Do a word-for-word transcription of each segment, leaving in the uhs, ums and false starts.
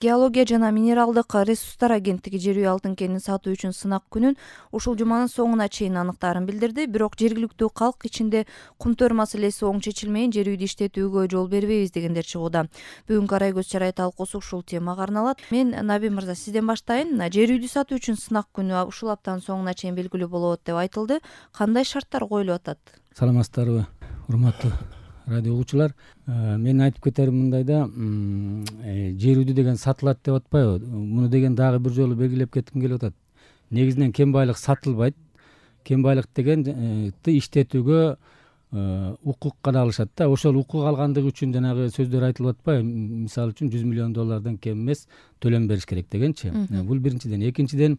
Геология жана минералдык ресурстар агенттиги жер үй алтын кенин сатуу үчүн сынак күнүн ушул жуманын соңуна чейин аныктаарын билдирди. Бирок жергиликтүү калк ичинде кумтөр маселеси оң чечилмейин жер үйдү иштетүүгө жол бербейбиз дегендер чыгууда. Бүгүнкү Арай көз чарай талкуусу ушул темага арналат. Мен Наби мырза сизден баштайын. Жер үйдү сатуу үчүн сынак күнү ушул аптанын соңуна чейин белгилүү болот деп айтылды. Кандай шарттар коюлуп атат? Саламатсыздарбы, урматтуу радио угуучулар. Мен айтып кетерим мындайда, жер үйдү деген сатылат деп атпайбы? Муну деген дагы бир жолу белгилеп кетким келип атат. Негизинен кен байлык сатылбайт. Кен байлык дегенди иштетүүгө укук гана алышат да. Ошол укук алгандыгы үчүн жанагы сөздөр айтылып атпайбы? Мисалы үчүн жүз миллион доллардан кем эмес төлөм бериш керек дегенчи. Бул биринчиден. Экинчиден,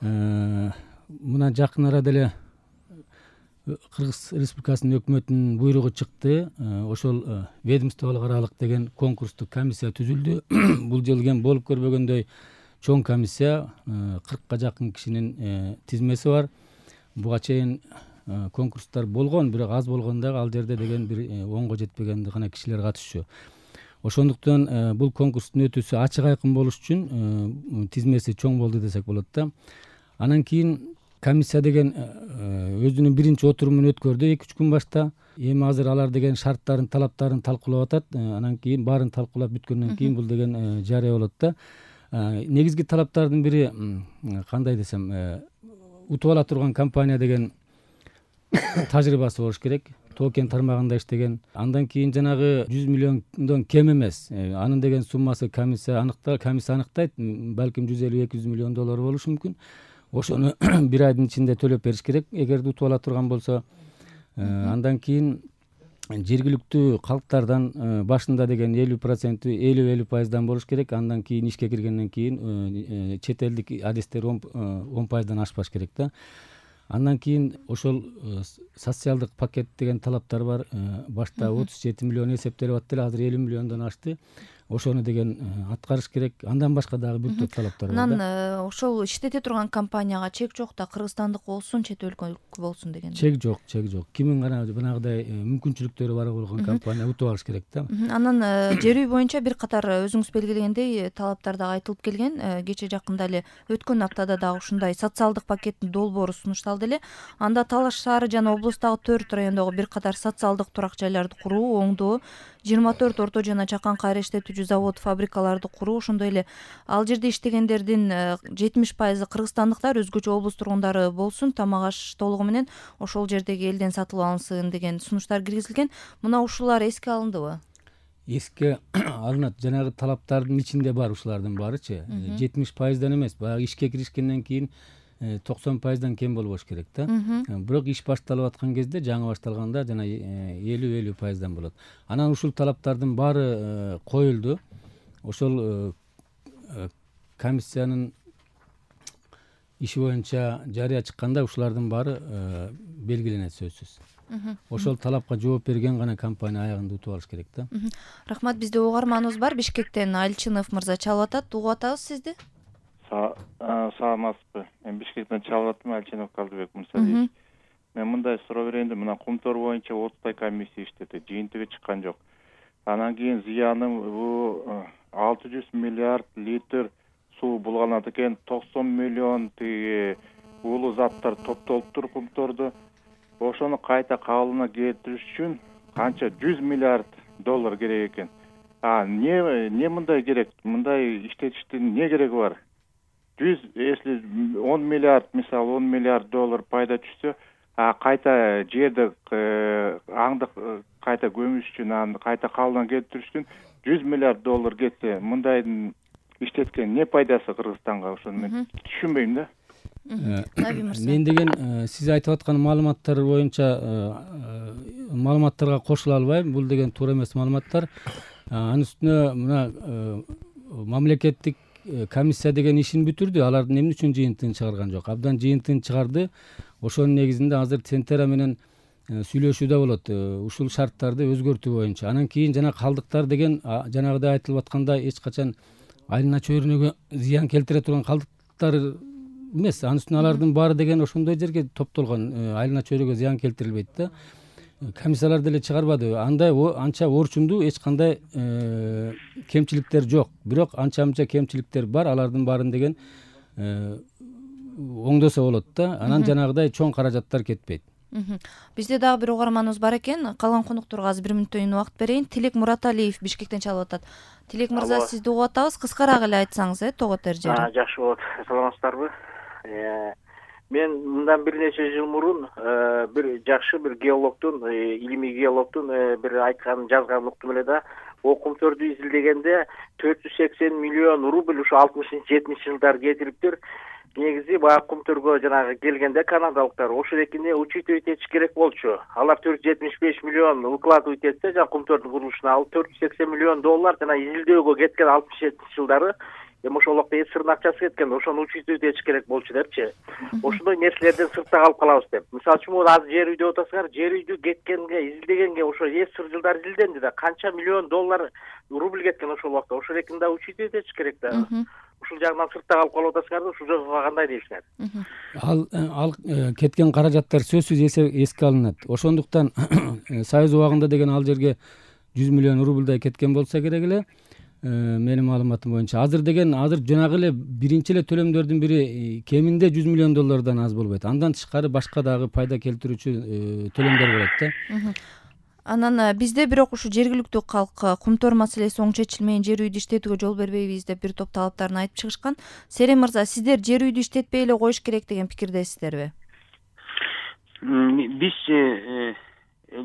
мына жакын арада эле Кыргыз Республикасынын өкмөтүнүн буйругу чыкты. Ошол ведомстволук аралык деген конкурстук комиссия түзүлдү. Бул жолу кен болуп көрбөгөндөй чоң комиссия, кыркка жакын кишинин тизмеси бар. Буга чейин конкурстар болгон, бирок аз болгон дагы ал жерде деген бир онго жетпеген гана кишилер катышчу. Ошондуктан бул конкурстун өтүүсү ачык айкын болуш үчүн тизмеси чоң болду десек болот да. Анан кийин комиссия деген өзүнүн биринчи отурумун өткөрдү эки үч күн башта. Эми азыр алар деген шарттарын, талаптарын талкуулап атат. Анан кийин баарын талкуулап бүткөндөн кийин бул деген жарыя болот да. Негизги талаптардын бири кандай десем, утуп ала турган компания деген тажрыйбасы болуш керек. Тоо кен тармагында иштеген. Андан кийин жанагы жүз миллиондон кем эмес. Анын деген суммасы комиссия аныкта, комиссия аныктайт. Балким жүз элүү эки жүз миллион доллар болушу мүмкүн. Ошону бир айдын ичинде төлөп бериш керек, эгерде утуп ала турган болсо. Андан кийин жергиликтүү калктардан башында деген элүү проценти элүү элүү пайыздан болуш керек. Андан кийин ишке киргенден кийин чет элдик адистер он пайыздан ашпаш керек да. Андан кийин ошол социалдык пакет деген талаптар бар. Башта отуз жети миллион эсептелип аттыр, азыр элүү миллиондон ашты. Ошону деген аткарыш керек. Андан башка дагы бир топ талаптар бар. Анан ошол иштете турган компанияга чек жок да, кыргызстандык болсун, чет өлкөлүк болсун деген. Чек жок, чек жок. Кимин гана жанагыдай мүмкүнчүлүктөрү бар болгон компания утуп алыш керек да. Анан жер үй боюнча бир катар өзүңүз белгилегендей талаптар дагы айтылып келген. Кече жакында эле өткөн аптада дагы ушундай социалдык пакеттин долбоору сунушталды эле. Анда Талаш шаары жана облустагы төрт райондогу бир катар социалдык турак жайларды куруу, оңдоо, жыйырма төрт орто жана чакан кайра иштетүүчү завод, фабрикаларды куруу, ошондой эле ал жерде иштегендердин жетимиш пайызы кыргызстандыктар, өзгөчө облус тургундары болсун, тамак аш толугу менен ошол жердеги элден сатылып алынсын деген сунуштар киргизилген. Мына ушулар эске алындыбы? Эске алынат. Жанагы талаптардын ичинде бар ушулардын баарычы. жетимиш пайыздан эмес, баягы ишке киришкенден кийин токсон пайыздан кем болбош керек да. Бирок иш башталып аткан кезде, жаңы башталганда жана элүү элүү пайыздан болот. Анан ушул талаптардын баары коюлду. Ошол комиссиянын иши боюнча жарыя чыкканда ушулардын баары белгиленет сөзсүз. Ошол талапка жооп берген гана компания аягында утуп алыш керек да. Рахмат. Бизде угарманыбыз бар. Бишкектен Алчынов мырза чалып атат. Угуп атабыз сизди. Саламатсызбы? Мен Бишкектен чалып аттым, Алчынов Калдыбек мырза. Мен мындай суроо берейин деп, мына кумтор боюнча отуздай комиссия иштети, жыйынтыгы чыккан жок. Анан кийин зыяным бул алты жүз миллиард литр суу булганат экен, токсон миллион тиги уулуу заттар топтолуптур кумтордо. Ошону кайта кабылына келтириш үчүн канча жүз миллиард доллар керек экен. А не не мындай керек? Мындай иштетиштин не кереги бар? жүз, если он миллиард, мисалы он миллиард доллар пайда түшсө, а кайта жерди аңды кайта көмүш үчүн, аны кайта кабылына келтириш үчүн жүз миллиард доллар кетсе, мындайдын иштеткен не пайдасы Кыргызстанга? Ошону мен түшүнбөйм да. Мен деген сиз айтып аткан маалыматтар боюнча маалыматтарга кошула албайм. Бул деген туура эмес маалыматтар. Анын үстүнө мына мамлекеттик комиссия деген ишин бүтүрдү. Алардын эмне үчүн жыйынтыгын чыгарган жок? Абдан жыйынтыгын чыгарды. Ошонун негизинде азыр Центера менен сүйлөшүүдө болот ушул шарттарды өзгөртүү боюнча. Анан кийин жана калдыктар деген жанагыдай айтылып атканда эч качан айлана чөйрөнөгө зыян келтире турган калдыктар эмес. Анын үстүнө алардын баары деген ошондой жерге топтолгон, айлана чөйрөгө зыян келтирилбейт да. комиссиялар деле чыгарбады. Андай анча орчундуу эч кандай кемчиликтер жок. Бирок анча мынча кемчиликтер бар. Алардын баарын деген оңдосо болот да. Анан жанагыдай чоң каражаттар кетпейт. Бизде дагы бир угарманыбыз бар экен. Калган конокторго азыр бир мүнөттөн убакыт берейин. Тилек Мураталиев Бишкектен чалып атат. Тилек мырза, сизди угуп атабыз. Кыскараак эле айтсаңыз, э, тоо котор жери. Жакшы болот. Саламатсыздарбы? Мен мындан бир нече жыл мурун бир жакшы бир геологдун, илимий геологдун бир айтканын жазганын уктум эле да. О кумтөрдү изилдегенде төрт жүз сексен миллион рубль ушу алтымышынчы жетимишинчи жылдары кетириптир. Негизи баягы кумтөргө жанагы келгенде канадалыктар ошол экине учитывать этиш керек болчу. Алар төрт жүз жетимиш беш миллион укладывать этсе, жана кумтөрдүн курулушуна ал төрт жүз сексен миллион доллар жана изилдөөгө кеткен алтымыш жетинчи жылдары эми ошол убакта эсирдин акчасы кеткен, ошону учитывать этиш керек болчу депчи. Ошондой нерселерден сыртта калып калабыз деп. Мисалы үчүн азыр жер үй деп атасыңар, жер үйдү кеткенге, изилдегенге ошо эсир жылдар изилденди да, канча миллион доллар рубль кеткен ошол убакта. Ошол экини да учитывать этиш керек да. Ушул жагынан сыртта калып калып атасыңар да, ушул жагга кандай дейсиңер? Ал ал кеткен каражаттар сөзсүз эске алынат. Ошондуктан Союз убагында деген ал жерге жүз миллион рубльдай кеткен болсо керек эле. Менин маалыматым боюнча азыр деген азыр жанагы эле биринчи эле төлөмдөрдүн бири кеминде жүз миллион доллардан аз болбойт. Андан тышкары башка дагы пайда келтирүүчү төлөмдөр болот да. Анан бизде бирок ушу жергиликтүү калк кумтөр маселеси оң чечилмейин, жер үйдү иштетүүгө жол бербейбиз деп бир топ талаптарын айтып чыгышкан. Серен мырза, сиздер жер үйдү иштетпей эле коюш керек деген пикирдесиздерби? Биз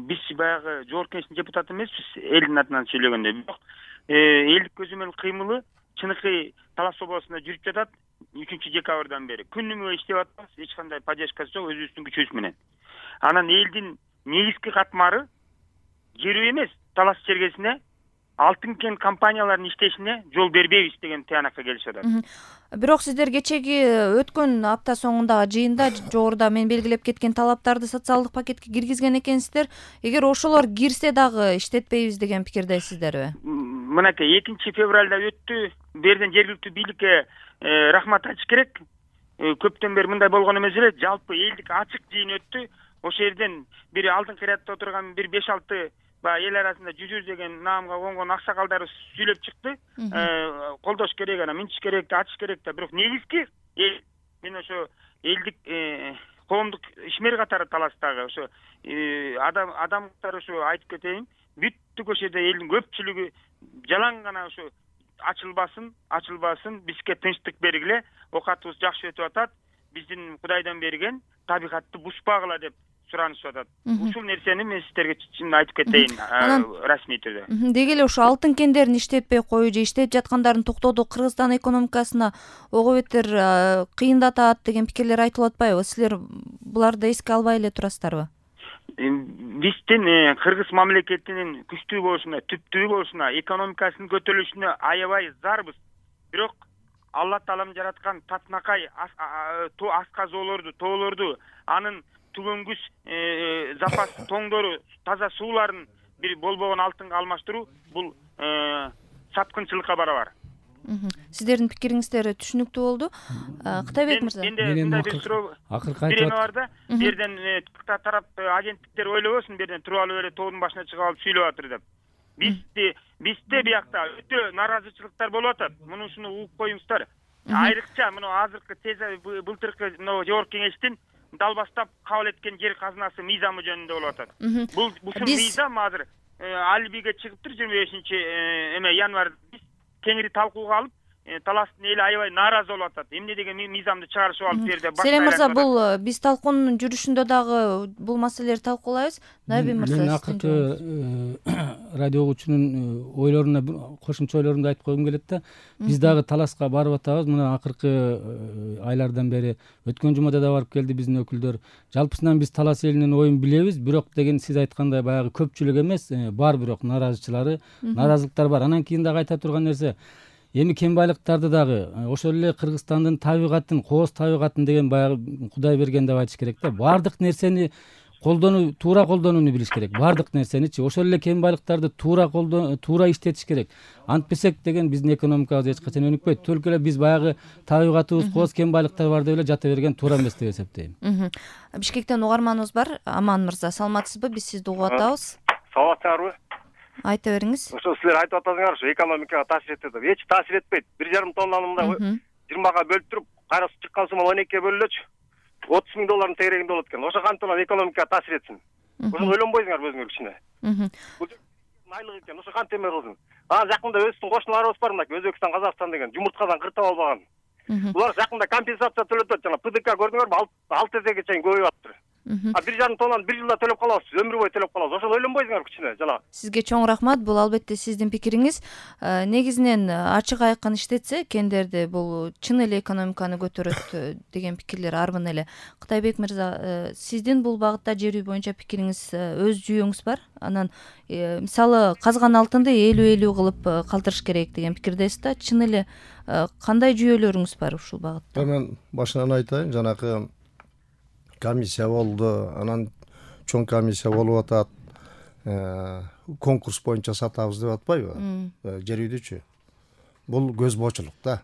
биз баягы жогорку кеңештин депутаты эмеспиз, элдин атынан сүйлөгөндө. Бирок элдик көзөмөл кыймылы чыныкы Талас областында жүрүп жатат. үчүнчү декабрдан бери күнүмө иштеп атабыз, эч кандай поддержкасы жок, өзүбүздүн күчүбүз менен. Анан элдин негизги катмары жер үй эмес, Талас чергесине алтын кен компанияларынын иштешине жол бербейбиз деген тыянакка келишип атат. Бирок сиздер кечеги өткөн апта соңундагы жыйында жогоруда мен белгилеп кеткен талаптарды социалдык пакетке киргизген экенсиздер. Эгер ошолор кирсе дагы иштетпейбиз деген пикирдесиздерби? Мынакей экинчи февралда өттү. Берден жергиликтүү бийликке рахмат айтыш керек. Көптөн бери мындай болгон эмес эле, жалпы элдик ачык жыйын өттү. Ошол жерден бир алдын кыйратта отурган бир беш алты баягы эл арасында жүзүр деген наамга конгон аксакалдар сүйлөп чыкты. Колдош керек, анан минтиш керек, ачыш керек да. Бирок негизги мен ошо элдик коомдук ишмер катары Таластагы ошо адам адамдар ошо айтып кетейин, бүттүк ошол жерде элдин көпчүлүгү жалаң гана ошо ачылбасын, ачылбасын, бизге тынчтык бергиле, оокатыбыз жакшы өтүп атат, биздин Кудайдан берген табигатты бузбагыла деп суранышып атат. Ушул нерсени мен сиздерге чын айтып кетейин расмий түрдө. Деги эле ошо алтын кендерин иштетпей коюу же иштеп жаткандарын токтотуу Кыргызстан экономикасына ого бетер кыйындатат деген пикирлер айтылып атпайбы? Силер буларды эске албай эле турасыздарбы? Биздин Кыргыз мамлекетинин күчтүү болушуна, түптүү болушуна, экономикасынын көтөрүлүшүнө аябай зарбыз. Бирок Алла Таалам жараткан татынакай асказоолорду, тоолорду, анын түгөнгүс запас тоңдору, таза сууларын бир болбогон алтынга алмаштыруу бул саткынчылыкка барабар. Сиздердин пикириңиздер түшүнүктүү болду. Кытайбек мырза. Менин акыркы айтып атат. Берден тарап агенттиктер ойлобосун, берден туруп алып эле тоонун башына чыгып алып сүйлөп атыр деп. Бизде бизде биякта өтө наразычылыктар болуп атат. Муну ушуну угуп коюңуздар. Айрыкча мына азыркы теза былтыркы жогорку кеңештин далбастап кабыл эткен жер казынасы мыйзамы жөнүндө болуп атат. Бул ушул мыйзам азыр албиге чыгыптыр жыйырма бешинчи эме январда. Биз кеңири талкууга алып, Таластын эли аябай нааразы болуп атат. Эмне деген мыйзамды чыгарышып алып жерде баш. Серен мырза, бул биз талкуунун жүрүшүндө дагы бул маселелерди талкуулайбыз. Найби мырза, мен акыркы радио угуучунун ойлоруна кошумча ойлорумду айтып койгум келет да. Биз дагы Таласка барып атабыз. Мына акыркы айлардан бери өткөн жумада да барып келди биздин өкүлдөр. Жалпысынан биз Талас элинин оюн билебиз, бирок деген сиз айткандай баягы көпчүлүк эмес, бар бирок наразычылары, наразылыктар бар. Анан кийин дагы айта турган нерсе, эми кен байлыктарды дагы ошол эле Кыргызстандын табигатын, кооз табигатын деген баягы Кудай берген деп айтыш керек да. Бардык нерсени колдонуу туура колдонууну билиш керек, баардык нерсеничи. Ошол эле кем байлыктарды туура колдон туура иштетиш керек. Антпесек деген биздин экономикабыз эч качан өнүкпөйт. Только эле биз баягы табигатыбыз кооз кем байлыктар бар деп эле жата берген туура эмес деп эсептейм. Бишкектен угарманыбыз бар. Аман мырза, саламатсызбы? Биз сизди угуп атабыз. Саламатсыздарбы? Айта бериңиз. Ошо силер айтып атасыңар, ушу экономикага таасир этет деп. Эч таасир этпейт. бир жарым тоннаны мындай жыйырмага бөлүп туруп, кайра чыккан сумма он экиге бөлүнөчү. отуз миң доллардын тегерегинде болот экен. Ошо кантип анан экономикага таасир этсин? Ошону ойлонбойсуңарбы өзүңөр кичине? Бул айлык экен. Ошо кантип эме кылсын? Анан жакында өзүбүздүн кошуналарыбыз бар, мына Өзбекстан, Казакстан деген жумурткадан кыртып албаган. Булар жакында компенсация төлөп атат. Жана ПДК көрдүңөрбү? алты эсеге чейин көбөйүп атыптыр. А бир жарым тоннаны бир жылда төлөп калабыз, өмүр бою төлөп калабыз. Ошону ойлонбойсуңарбы кичине? Жана Сизге чоң рахмат. Бул албетте сиздин пикириңиз. Негизинен ачык айкын иштетсе, кендерди бул чын эле экономиканы көтөрөт деген пикирлер арбын эле. Кытайбек мырза, сиздин бул багытта жер үй боюнча пикириңиз, өз жүйөңүз бар. Анан мисалы казган алтынды элүү элүү кылып калтырыш керек деген пикирдесиз да. Чын эле кандай жүйөлөрүңүз бар ушул багытта? Мен башынан айтайын, жанакы комиссия болду, анан чоң комиссия болуп атат, конкурс боюнча сатабыз деп атпайбы жер үйдүчү. Бул көз боочулук да.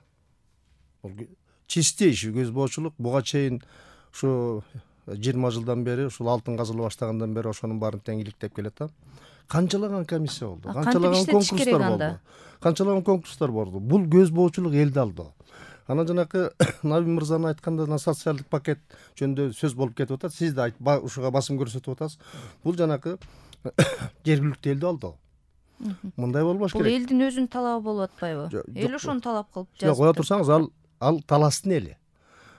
Бул чистый иш, көз боочулук. Буга чейин ушу жыйырма жылдан бери, ушул алтын казыла баштагандан бери ошонун баарын тең иликтеп келет да. Канчалаган комиссия болду, канчалаган конкурстар болду. Канчалаган конкурстар болду. Бул көз боочулук элди алды. Анан жанакы Наби мырзанын айтканда социалдык пакет жөнүндө сөз болуп кетип атат. Сиз да ушуга басым көрсөтүп атасыз. Бул жанакы жергиликтүү элди алды. Мындай болбош керек. Бул элдин өзүнүн талабы болуп атпайбы? Эл ошону талап кылып жазып. Жок, кое турсаңыз, ал ал таластын эли.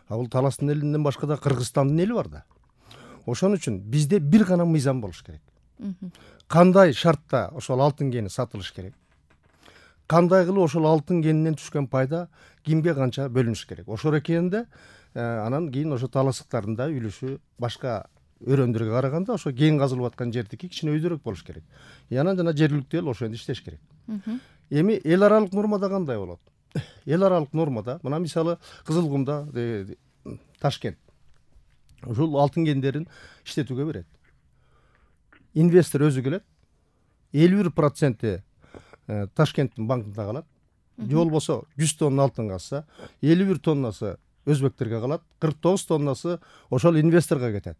А бул таластын элинден башка да Кыргызстандын эли бар да. Ошон үчүн бизде бир гана мыйзам болуш керек. Кандай шартта ошол алтын кени сатылыш керек? Кандай кылып ошол алтын кенинен түшкөн пайда кимге канча бөлүнүш керек? Ошол экенинде анан кийин ошо таластыктардын да үлүшү башка өрөөндөргө караганда ошо кен казылып аткан жердики кичине өйдөрөөк болуш керек. Анан жана жергиликтүү эл ошондо иштеш керек. Эми эл аралык нормада кандай болот? Эл аралык нормада мына мисалы Кызылкумда, Ташкент ушул алтын кендерин иштетүүгө берет. Инвестор өзү келет, элүү бир проценти Ташкенттин банкында калат. Же болбосо жүз тонна алтын калса, элүү бир тоннасы өзбектерге калат, кырк тогуз тоннасы ошол инвесторго кетет.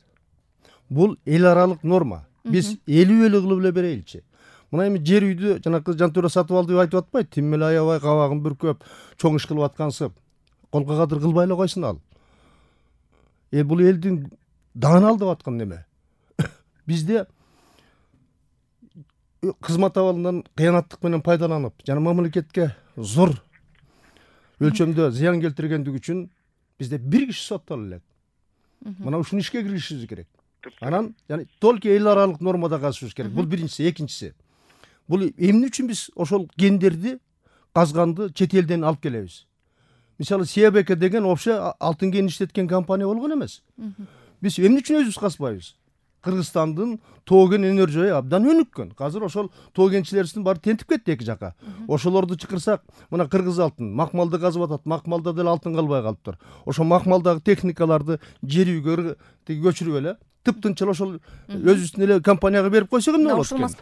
Бул эл аралык норма. Биз элүү элүү кылып эле берейинчи. Мына эми жер үйдү жанакы Жантуура сатып алды деп айтып атпайт. Тим эле аябай кабагын бүркөп, чоң иш кылып аткансып, колго кадыр кылбай эле койсун ал. Э бул элдин дааны алдап аткан неме? Бизде кызмат абалынан кыянаттык менен пайдаланып, жана мамлекетке зор өлчөмдө зыян келтиргендиги үчүн бизде бир киши соттоло элек. Мына ушуну ишке киргизишибиз керек. Анан жана только эл аралык нормада казышыбыз керек. Бул биринчиси, экинчиси. Бул эмне үчүн биз ошол кендерди, казганды чет элден алып келебиз? Мисалы Сиябеке деген вообще алтын кен иштеткен компания болгон эмес. Биз эмне үчүн өзүбүз казбайбыз? Кыргызстандын тоо кен өнөр жайы абдан өнүккөн. Азыр ошол тоо кенчилерибиздин баары тентип кетти эки жака. Ошолорду чакырсак, мына Кыргыз алтын, Макмалды казып атат. Макмалда деле алтын калбай калыптыр. Ошо Макмалдагы техникаларды жер үйгө көчүрүп эле тыптынчыл ошол өзүбүздүн эле компанияга берип койсок эмне болот экен?